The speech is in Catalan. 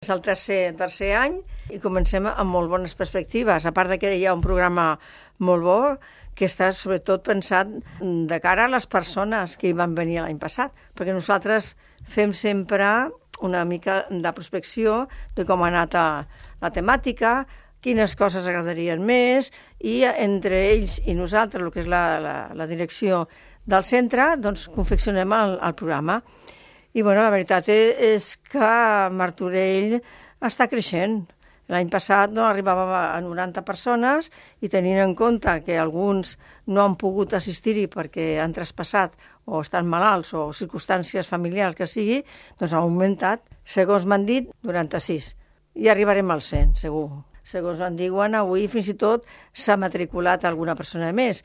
És el tercer any i comencem amb molt bones perspectives, a part de que hi ha un programa molt bo que està sobretot pensat de cara a les persones que hi van venir l'any passat, perquè nosaltres fem sempre una mica de prospecció de com ha anat la temàtica, quines coses agradarien més, i entre ells i nosaltres, el que és la direcció del centre, doncs confeccionem el programa. I bueno, la veritat és que Martorell està creixent. L'any passat no arribava a 90 persones i tenint en compte que alguns no han pogut assistir-hi perquè han traspassat o estan malalts o circumstàncies familiars que sigui, doncs ha augmentat, segons m'han dit, 96. I arribarem al 100, segur. Segons em diuen, avui fins i tot s'ha matriculat alguna persona més.